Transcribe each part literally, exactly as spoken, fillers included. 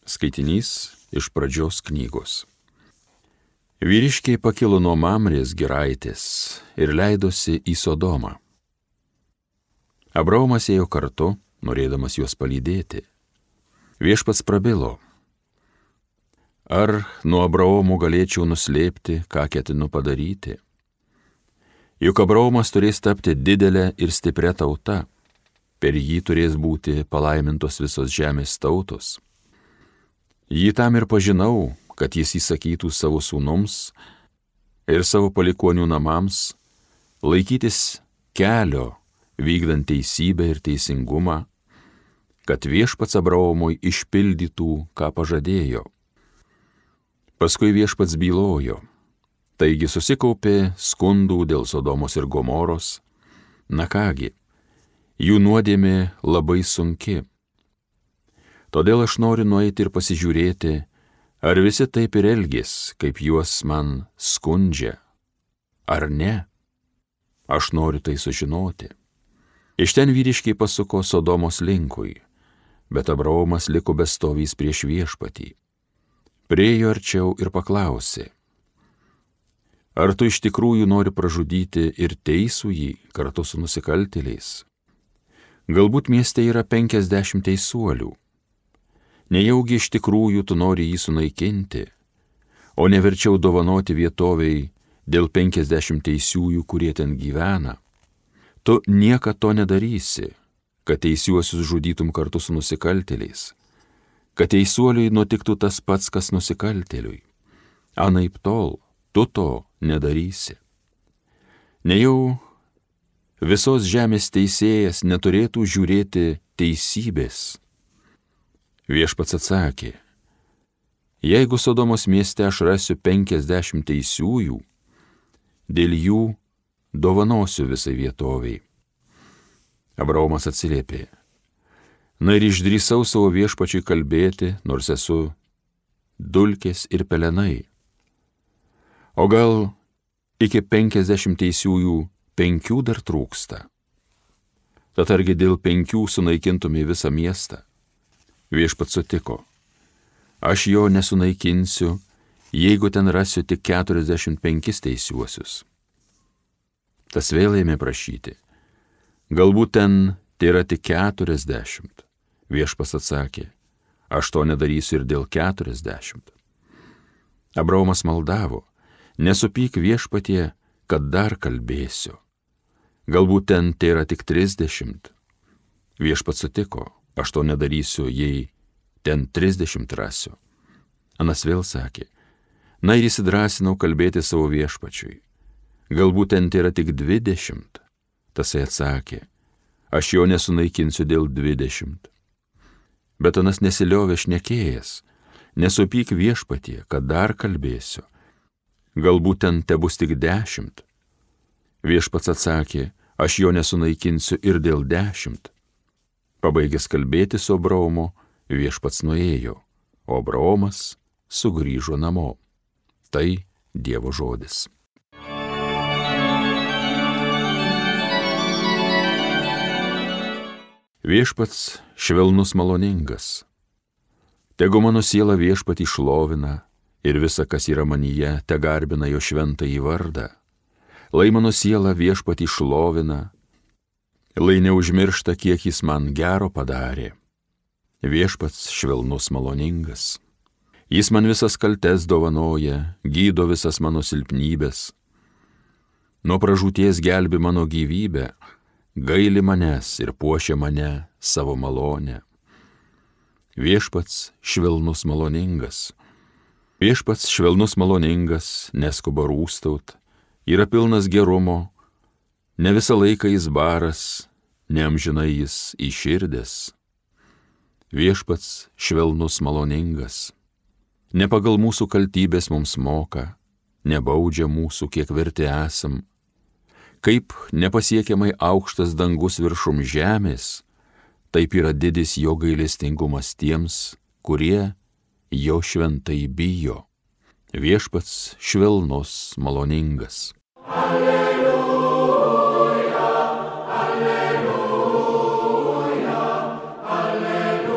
Skaitinys iš Pradžios knygos. Vyriškiai pakilo nuo Mamrės giraitės ir leidosi į Sodomą. Abraomas ėjo kartu, norėdamas juos palydėti. Viešpats prabilo: ar nuo Abraomo galėčiau nuslėpti, ką ketinu padaryti? Juk Abraomas turės tapti didelę ir stiprią tautą, per jį turės būti palaimintos visos žemės tautos. Jį tam ir pažinau, kad jis įsakytų savo sūnums ir savo palikuonių namams laikytis kelio, vykdant teisybę ir teisingumą, kad viešpats Abraomui išpildytų, ką pažadėjo. Paskui viešpats bylojo, taigi susikaupė skundų dėl Sodomos ir Gomoros. Na kągi, jų nuodėmė labai sunki. Todėl aš noriu nueiti ir pasižiūrėti, ar visi taip ir elgės, kaip juos man skundžia, ar ne. Aš noriu tai sužinoti. Iš ten vyriškiai pasuko Sodomos linkui, bet Abraomas liko bestovys prieš viešpatį. Priėjo arčiau ir paklausė: ar tu iš tikrųjų nori pražudyti ir teisų jį kartu su nusikaltėliais? Galbūt mieste yra penkiasdešimt teisuolių. Nejaugi iš tikrųjų tu nori jį sunaikinti, o neverčiau dovanoti vietoviai dėl penkiasdešimt teisiųjų, kurie ten gyvena. Tu niekad to nedarysi, kad teisiuosius žudytum kartu su nusikaltėliais, kad teisuoliui nutiktų tas pats, kas nusikaltėliui. Anaiptol, tu to nedarysi. Nejau visos žemės teisėjas neturėtų žiūrėti teisybės. Viešpats atsakė: jeigu Sodomos mieste aš rasiu penkiasdešimt teisiųjų, dėl jų dovanosiu visai vietoviai. Abraomas atsiliepė: na ir išdrįsau savo viešpačiui kalbėti, nors esu dulkės ir pelenai. O gal iki penkiasdešimt teisiųjų penkių dar trūksta? Tad argi dėl penkių sunaikintumė visą miestą? Viešpats sutiko: aš jo nesunaikinsiu, jeigu ten rasiu tik keturiasdešimt penkis teisiuosius. Tas vėl ėmė prašyti: galbūt ten tai yra tik keturiasdešimt. Viešpats atsakė: aš to nedarysiu ir dėl keturiasdešimt. Abraomas maldavo: nesupyk viešpatie, kad dar kalbėsiu. Galbūt ten tai yra tik trisdešimt. Viešpats sutiko: aš to nedarysiu, jei ten trisdešimt rasiu. Anas vėl sakė: na ir įsidrasinau kalbėti savo viešpačiui. Galbūt ten tai yra tik dvidešimt. Tasai atsakė: aš jo nesunaikinsiu dėl dvidešimt. Bet Anas nesiliovė šnekėjęs: nesupyk viešpatie, kad dar kalbėsiu. Galbūt ten tebus tik dešimt. Viešpats atsakė: aš jo nesunaikinsiu ir dėl dešimt. Pabaigęs kalbėti su Abraomu, viešpats nuėjo, o Abraomas sugrįžo namo. Tai Dievo žodis. Viešpats švelnus maloningas. Tegu mano siela viešpatį šlovina ir visa, kas yra manyje, te garbina jo šventąjį vardą. Lai mano siela viešpatį šlovina, lai neužmiršta, kiek jis man gero padarė. Viešpats švelnus maloningas. Jis man visas kaltes dovanoja, gydo visas mano silpnybės. Nuo pražūties gelbi mano gyvybę, gaili manęs ir puošia mane savo malonę. Viešpats švelnus maloningas. Viešpats švelnus maloningas, neskuba rūstaut, yra pilnas gerumo. Ne visą laiką jis baras, neamžinai jis įširdęs. Viešpats švelnus maloningas. Ne pagal mūsų kaltybės mums moka, nebaudžia mūsų, kiek verti esam. Kaip nepasiekiamai aukštas dangus viršum žemės, taip yra didis jo gailestingumas tiems, kurie jo šventai bijo. Viešpats švelnus maloningas. Alleluja. Alleluja, Alleluja.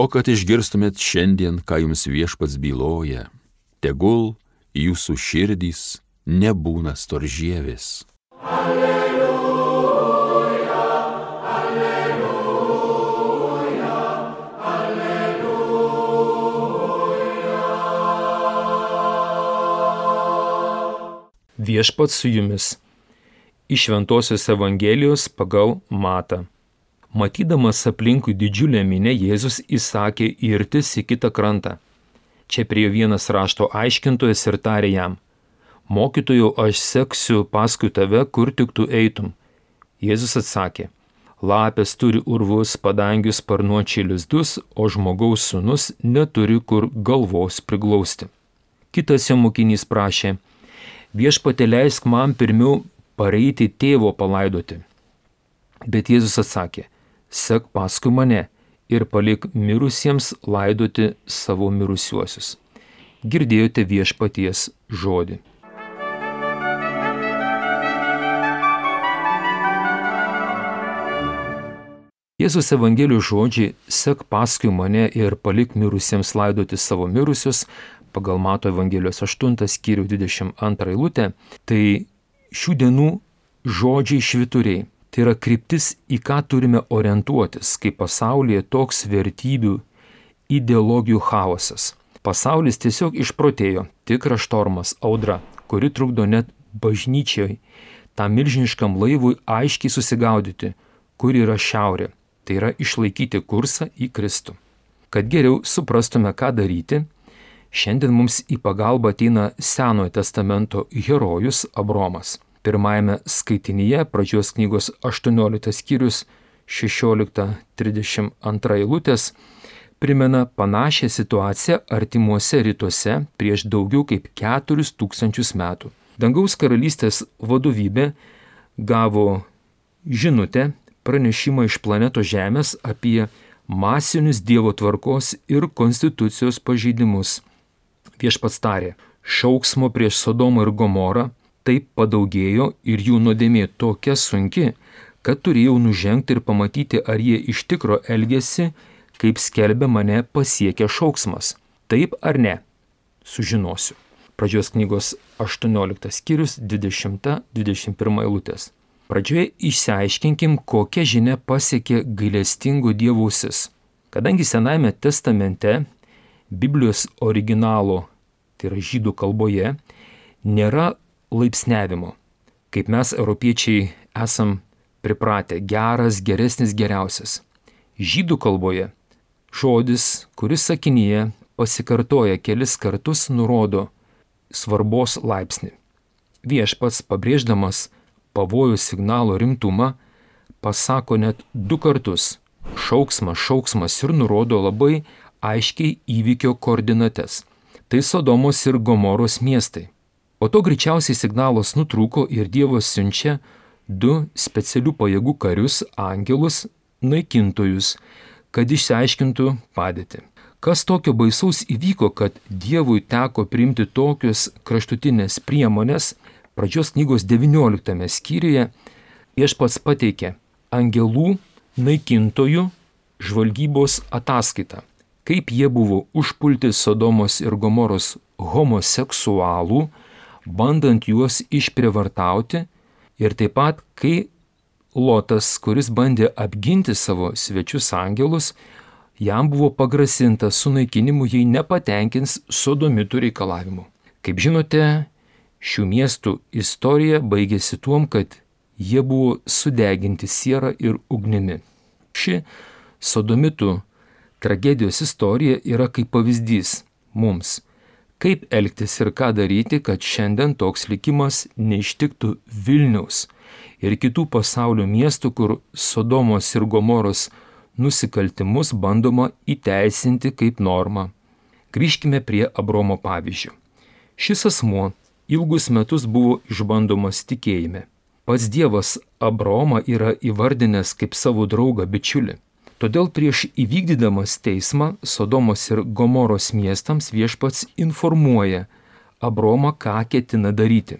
O kad išgirstumėt šiandien, ką jums viešpats byloja, tegul jūsų širdys nebūna storžievės. Alleluja, alleluja, alleluja. Viešpats su jumis. Iš Šventosios Evangelijos pagal Matą. Matydamas aplinkui didžiulę minią, Jėzus įsakė irtis į kitą krantą. Čia priėjo vienas rašto aiškintojas ir tarė jam: Mokytojau, aš seksiu paskui tave, kur tik tu eitum. Jėzus atsakė: Lapės turi urvus, padangius, sparnuočiai lizdus, o žmogaus sūnus neturi kur galvos priglausti. Kitas jo mokinys prašė: Viešpatie, leisk man pirmiau pareiti tėvo palaidoti. Bet Jėzus atsakė: Sek paskui mane ir palik mirusiems laidoti savo mirusiuosius. Girdėjote viešpaties žodį. Jėzus Evangelijos žodžiai "Sek paskui mane ir palik mirusiems laidoti savo mirusius" pagal Mato Evangelijos aštuntą skyrių dvidešimt antrą eilutę, tai šių dienų žodžiai švyturiai. Tai yra kryptis, į ką turime orientuotis, kai pasaulyje toks vertybių, ideologijų chaosas. Pasaulis tiesiog išprotėjo, tikras štormas, audra, kuri trukdo net bažnyčiai, tam milžiniškam laivui aiškiai susigaudyti, kur yra šiaurė. Tai yra išlaikyti kursą į Kristų. Kad geriau suprastume, ką daryti, šiandien mums į pagalbą ateina Senojo testamento herojus Abromas. Pirmajame skaitinyje, pradžios knygos aštuonioliktas skyrius šešiolikta trisdešimt antra eilutės, primena panašią situaciją artimuose rytuose prieš daugiau kaip keturis tūkstančius metų. Dangaus karalystės vadovybė gavo žinutę, pranešimą iš planetos Žemės apie masinius Dievo tvarkos ir konstitucijos pažeidimus. Viešpats tarė: šauksmo prieš Sodomą ir Gomorą taip padaugėjo ir jų nuodėmė tokia sunki, kad turėjau nužengti ir pamatyti, ar jie iš tikro elgėsi, kaip skelbia mane pasiekę šauksmas. Taip ar ne? Sužinosiu. Pradžios knygos aštuonioliktas skyrius dvidešimta dvidešimt pirma eilutės. Pradžioje išsiaiškinkim, kokia žinia pasiekė gailestingo Dievo ausis. Kadangi Senajame testamente Biblijos originalo, tai yra žydų kalboje, nėra laipsniavimo, kaip mes europiečiai esam pripratę: geras, geresnis, geriausias. Žydų kalboje žodis, kuris sakinyje pasikartoja kelis kartus, nurodo svarbos laipsnį. Viešpats, pabrėždamas pavojų signalo rimtumą, pasako net du kartus šauksmas, šauksmas ir nurodo labai aiškiai įvykio koordinates. Tai Sodomos ir Gomoros miestai. Po to greičiausiai signalas nutrūko ir Dievas siunčia du specialių pajėgų karius, angelus, naikintojus, kad išsiaiškintų padėtį. Kas tokio baisaus įvyko, kad Dievui teko priimti tokius kraštutinės priemonės? Pradžios knygos devynioliktame skyriuje Viešpats pateikė angelų naikintojų žvalgybos ataskaitą, kaip jie buvo užpulti Sodomos ir Gomoros homoseksualų, bandant juos išprievartauti, ir taip pat, kai Lotas, kuris bandė apginti savo svečius angelus, jam buvo pagrasinta sunaikinimu, jei nepatenkins sodomitų reikalavimų. Kaip žinote, šių miestų istorija baigėsi tuom, kad jie buvo sudeginti siera ir ugnimi. Ši sodomitų tragedijos istorija yra kaip pavyzdys mums, kaip elgtis ir ką daryti, kad šiandien toks likimas neištiktų Vilniaus ir kitų pasaulio miestų, kur Sodomos ir Gomoros nusikaltimus bandoma įteisinti kaip normą. Grįžkime prie Abromo pavyzdžio. Šis asmuo ilgus metus buvo išbandomas tikėjime. Pats Dievas Abromą yra įvardinęs kaip savo draugą bičiulį. Todėl prieš įvykdydamas teismą Sodomos ir Gomoros miestams Viešpats informuoja Abromą, ką ketina daryti.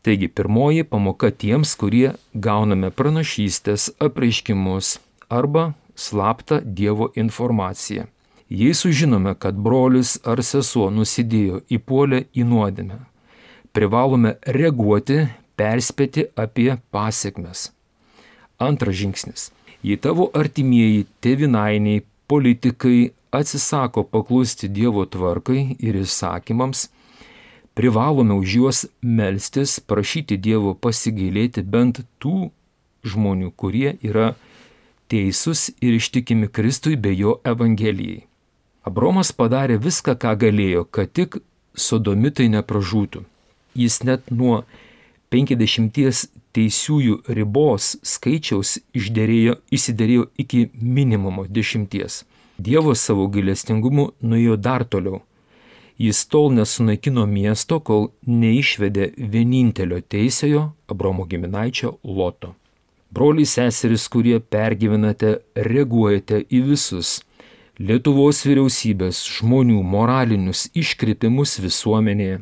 Taigi pirmoji pamoka tiems, kurie gauname pranašystės, apreiškimus arba slaptą Dievo informaciją. Jei sužinome, kad brolis ar sesuo nusidėjo, įpuolė į nuodėmę, privalome reaguoti, perspėti apie pasiekmes. Antras žingsnis. Jei tavo artimieji, tėvynainiai, politikai atsisako paklusti Dievo tvarkai ir įsakymams, privalome už juos melstis, prašyti Dievo pasigailėti bent tų žmonių, kurie yra teisūs ir ištikimi Kristui bei jo evangelijai. Abraomas padarė viską, ką galėjo, kad tik sodomitai nepražūtų. Jis net nuo penkiasdešimties teisiųjų ribos skaičiaus išderėjo, įsiderėjo iki minimumo dešimties. Dievas savo gailestingumu nuėjo dar toliau. Jis tol nesunaikino miesto, kol neišvedė vienintelio teisėjo Abraomo giminaičio Loto. Broliai seserys, kurie pergyvenate, reaguojate į visus Lietuvos vyriausybės žmonių moralinius iškrypimus visuomenėje,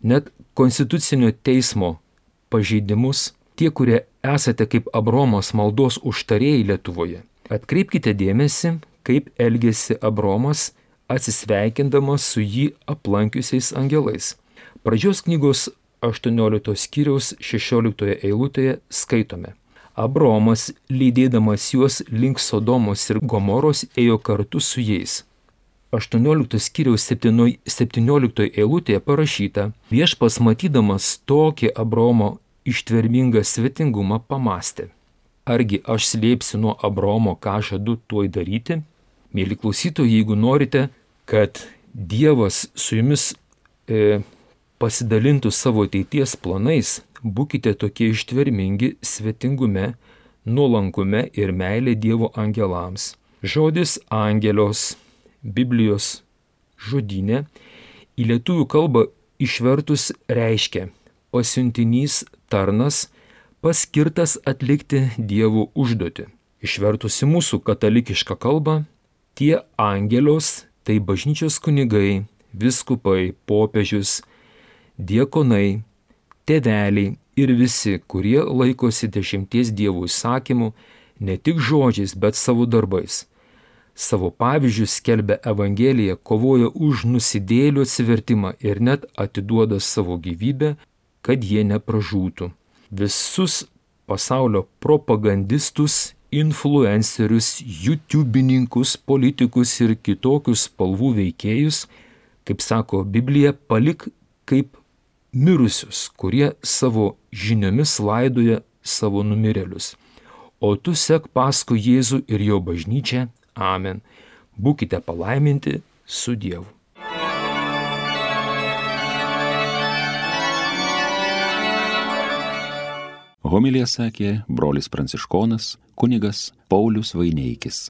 net konstitucinio teismo pažeidimus, tie, kurie esate kaip Abraomas maldos užtarėjai Lietuvoje, atkreipkite dėmesį, kaip elgėsi Abraomas atsisveikindamas su jį aplankiusiais angelais. Pradžios knygos aštuonioliktos skyriaus šešioliktoje eilutėje skaitome. Abraomas, lydėdamas juos link Sodomos ir Gomoros, ėjo kartu su jais. aštuonioliktos skyriaus septynioliktoje eilutėje parašyta: Viešpats matydamas tokį Abraomo ištvermingą svetingumą pamastė. Argi aš slėpsiu nuo Abraomo, ką žadu tuoj daryti? Mėly klausytojai, jeigu norite, kad Dievas su jumis e, pasidalintų savo ateities planais, būkite tokie ištvermingi svetingume, nuolankume ir meilė Dievo angelams. Žodis angelios Biblijos žodyne į lietuvių kalbą išvertus reiškia pasiuntinys, tarnas, paskirtas atlikti Dievo užduotį. Išvertus į mūsų katalikišką kalbą, tie angelios tai bažnyčios kunigai, vyskupai, popiežius, diakonai, tėveliai ir visi, kurie laikosi dešimties Dievo įsakymų ne tik žodžiais, bet savo darbais. Savo pavyzdžių skelbia Evangeliją, kovoja už nusidėjėlių atsivertimą ir net atiduoda savo gyvybę, kad jie nepražūtų. Visus pasaulio propagandistus, influencerius, youtubininkus, politikus ir kitokius spalvų veikėjus, kaip sako Biblija, palik kaip mirusius, kurie savo žiniomis laidoja savo numirėlius. O tu sek paskui Jėzų ir jo bažnyčią. Amen. Būkite palaiminti su Dievu. Homiliją sakė brolis pranciškonas kunigas Paulius Vaineikis.